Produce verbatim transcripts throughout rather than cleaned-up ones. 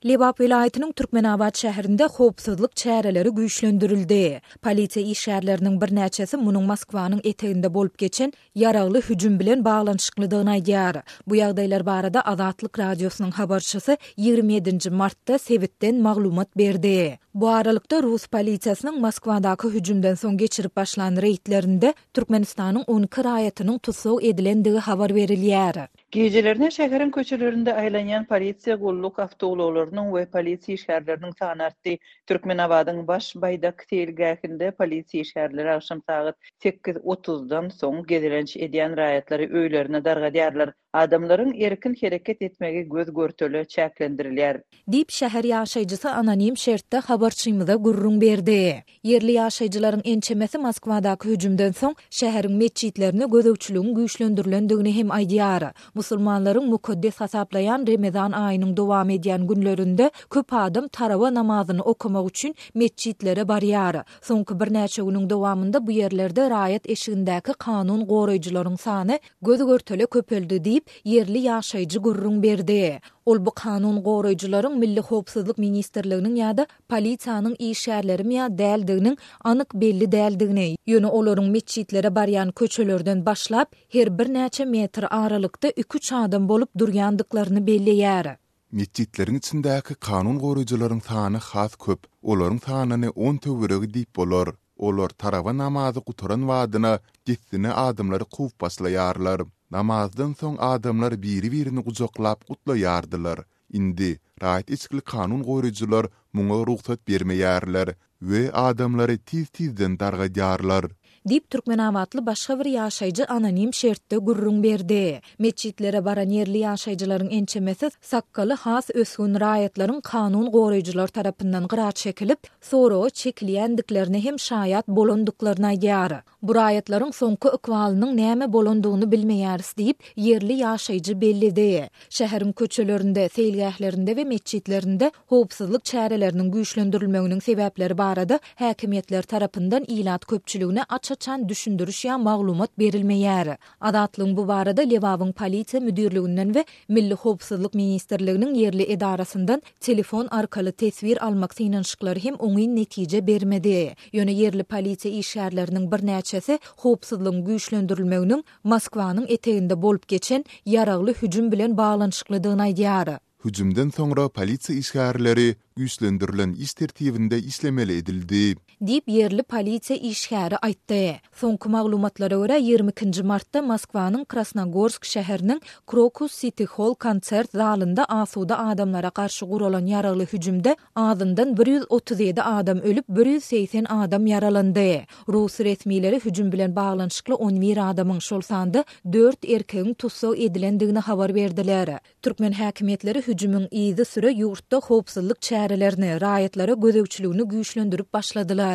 Lebap welaýatynyň Türkmenabat şäherinde howpsuzlyk çäreleri güýçlendirildi. Polisiýa işgärleriniň birnäçesi munuň Moskwanyň eteginde bolup geçen ýaragly hüjüm bilen baglanyşyklydygyny aýdýar. Bu ýagdaýlar barada Azatlyk Radiosynyň habarçysy ýigrimi ýedinji martda sebitden maglumat berdi. Bu aralykda, rus polisiýasynyň Moskwadaky hüjümden soň geçirip başlan reýdlerinde Türkmenistanyň on iki raýatynyň tussag edilendigi habar berilýär. Gijelerine şäheriň köçelerinde aýlanýan polisiýa gulluk awtoulaglarynyň we polisiýa işgärleriniň sany artdy. Türkmenabadyň Baş baýdak seýilgähinde polisiýa işgärleri agşam sagat sekiz otuzdan soň gezelenç edýän raýatlary öýlerine dargadýarlar. Adamlaryň erkin hereket etmegi göz-görtele çäklendirilýär. Diýip, şäher ýaşaýjysy anonim şertde habarçymyza gürrüň berdi. Ýerli ýaşaýjylaryň ençemesi Moskwadaky hüjümden soň şäheriň metjitlerine gözegçiligiň güýçlendirilendigini hem aýdýar. Musulmanlaryň mukaddes hasaplaýan Remezan aýynyň dowam edýän günlerinde köp adam tarawa namazyny okamak üçin metjitlere barýar. Soňky birnäçe günüň dowamynda bu ýerlerde raýat eşigindäki kanun goraýjylaryň sany göz-görtele köpeldi diýip, ýerli ýaşaýjy gürrüň berdi. Ol bu kanun goraýjylaryň Milli howpsuzlyk ministrliginiň ýa-da polisiýanyň işgärlerimi ýa däldiginiň anyk belli däldigini, ýöne olaryň metjitlere barýan köçelerden başlap, her birnäçe metr aralykda iki-üç adam bolup durýandyklaryny belleýär. Metjitleriň içindäki kanun goraýjylaryň sany has köp, olaryň sanyny on töweregi diýip bolar. Olar tarawa namazy gutaran badyna dessine adamlary kowup başlaýarlar. Namazdan soň adamlar biri-birini gujaklap gutlaýardylar. Indi raýat eşikli kanun goraýjylar muňa rugsat bermeýärler we adamlary tiz-tizden dargadýarlar. Diýip, türkmenabatly başga bir ýaşaýjy anonim şertde gürrüň berdi. Metjitlere baran ýerli ýaşaýjylaryň ençemesi sakgaly has ösgün raýatlaryň kanun goraýjylar tarapyndan gyra çekilip, soraga çekilýändiklerine hem şaýat bolandyklaryny aýdýar. Bu raýatlaryň soňky ykbalynyň näme bolandygyny bilmeýäris diýip, ýerli ýaşaýjy belledi. Şäheriň köçelerinde, seýilgählerinde we metjitlerinde howpsuzlyk çäreleriniň güýçlendirilmeginiň sebäpleri barada häkimiýetler tarapyndan ilat köpçüligine aç-açan düşündiriş ýa maglumat berilmeýär. Azatlygyň bu barada Lebabyň polisiýa müdirliginden we Milli howpsuzlyk ministrliginiň ýerli edarasyndan telefon arkaly teswir almak synanyşyklary hem oňyn netije bermedi. Ýöne ýerli polisiýa işgärleriniň birnäçesi howpsuzlygyň güýçlendirilmeginiň Moskwanyň eteginde bolup geçen ýaragly hüjüm bilen baglanyşyklydygyny aýdýar. Hüjümden soňra polisiýa işgärleri güýçlendirilen iş tertibinde işlemeli edildi. Diýip, ýerli polisiýa işgäri aýtdy. Soňky maglumatlara görä, ýigrimi ikinji martda Moskwanyň Krasnogorsk şäheriniň Krokus Siti Hall konsert zalynda asuda adamlara garşy guralan ýaragly hüjümde azyndan bir ýüz otuz ýedi adam ölüp, bir ýüz segsen adam ýaralandy. Rus resmileri hüjüm bilen baglanyşykly on bir adamyň, şol sanda dört erkegiň tussag edilendigini habar berdiler. Türkmen häkimiýetleri hüjümiň yzysüre ýurtda howpsuzlyk çärelerini, raýatlara gözegçiligini güýçlendirip başladylar.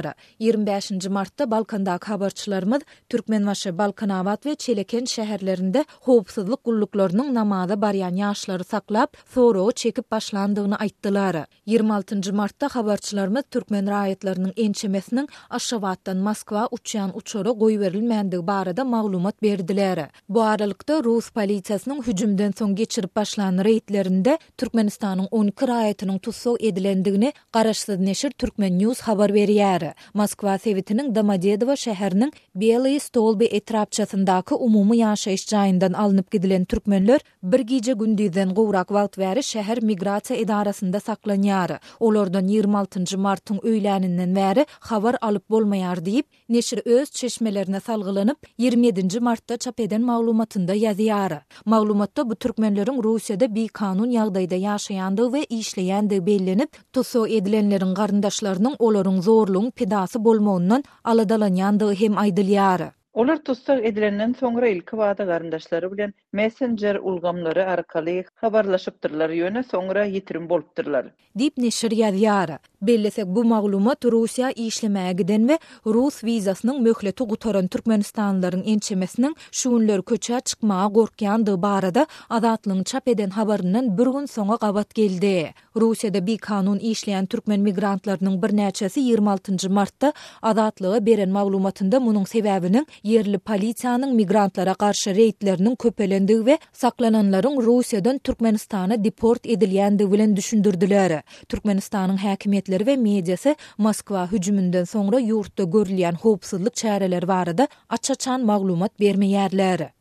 Ýigrimi bäşinji martda Balkandaky habarçylarymyz Türkmenbaşy, Balkanabat we Çeleken şäherlerinde howpsuzlyk gulluklarynyň namaza barýan ýaşlary saklap, soraga çekip başlandygyny aýtdylar. Ýigrimi altynjy martda habarçylarymyz türkmen raýatlarynyň ençemesiniň Aşgabatdan Moskwa uçýan uçara goýberilmändigi barada maglumat berdiler. Bu aralykda, rus polisiýasynyň hüjümden soň geçirip başlan reýdlerinde Türkmenistanyň on iki raýatynyň tussag edilendigini garaşsyz neşir Turkmen News habar berýär. Moskwa sebitiniň Domodedowo şäheriniň Belyý Stolby etrapçasyndaky umumy ýaşaýyş jaýyndan alnyp gidilen türkmenler bir gije-gündizden gowrak wagt bäri şäher migrasiýa edarasynda saklanýar. Olardan ýigrimi altynjy martyň öýläninden bäri habar alyp bolmaýar diýip, neşir öz çeşmelerine salgylanyp, ýigrimi ýedinji martda çap eden maglumatynda ýazýar. Maglumatda bu türkmenleriň Russiýada bikanun ýagdaýda ýaşaýandygy we işleýändigi bellenip, tussag edilenleriň garyndaşlarynyň olaryň zorlugyň pidasy bolmagyndan aladalanýandygy hem aýdylýar. Olar tussag edilenden soňra ilkibada garyndaşlary bilen messenjer ulgamlary arkaly habarlaşypdyrlar, ýöne soňra ýitirim bolupdyrlar. Diýip, neşir ýazýar. Bellesek, bu maglumat Russiýa işlemäge giden we rus wizasynyň möhleti gutaran türkmenistanlylaryň ençemesiniň şu günler köçä çykmaga gorkýandygy barada Azatlygyň çap eden habaryndan bir gün soňa gabat geldi. Russiýada bikanun işleýän türkmen migrantlarynyň birnäçesi ýigrimi altynjy martda Azatlyga beren maglumatynda munuň sebäbiniň ýerli polisiýanyň migrantlara garşy reýdleriniň köpelendigi we saklananlaryň Russiýadan Türkmenistana deport edilýändigi bilen düşündirdiler. Türkmenistanyň häkimiýetleri we mediasy Moskwa hüjüminden soňra ýurtda görülýän howpsuzlyk çäreleri barada aç-açan maglumat bermeýärler.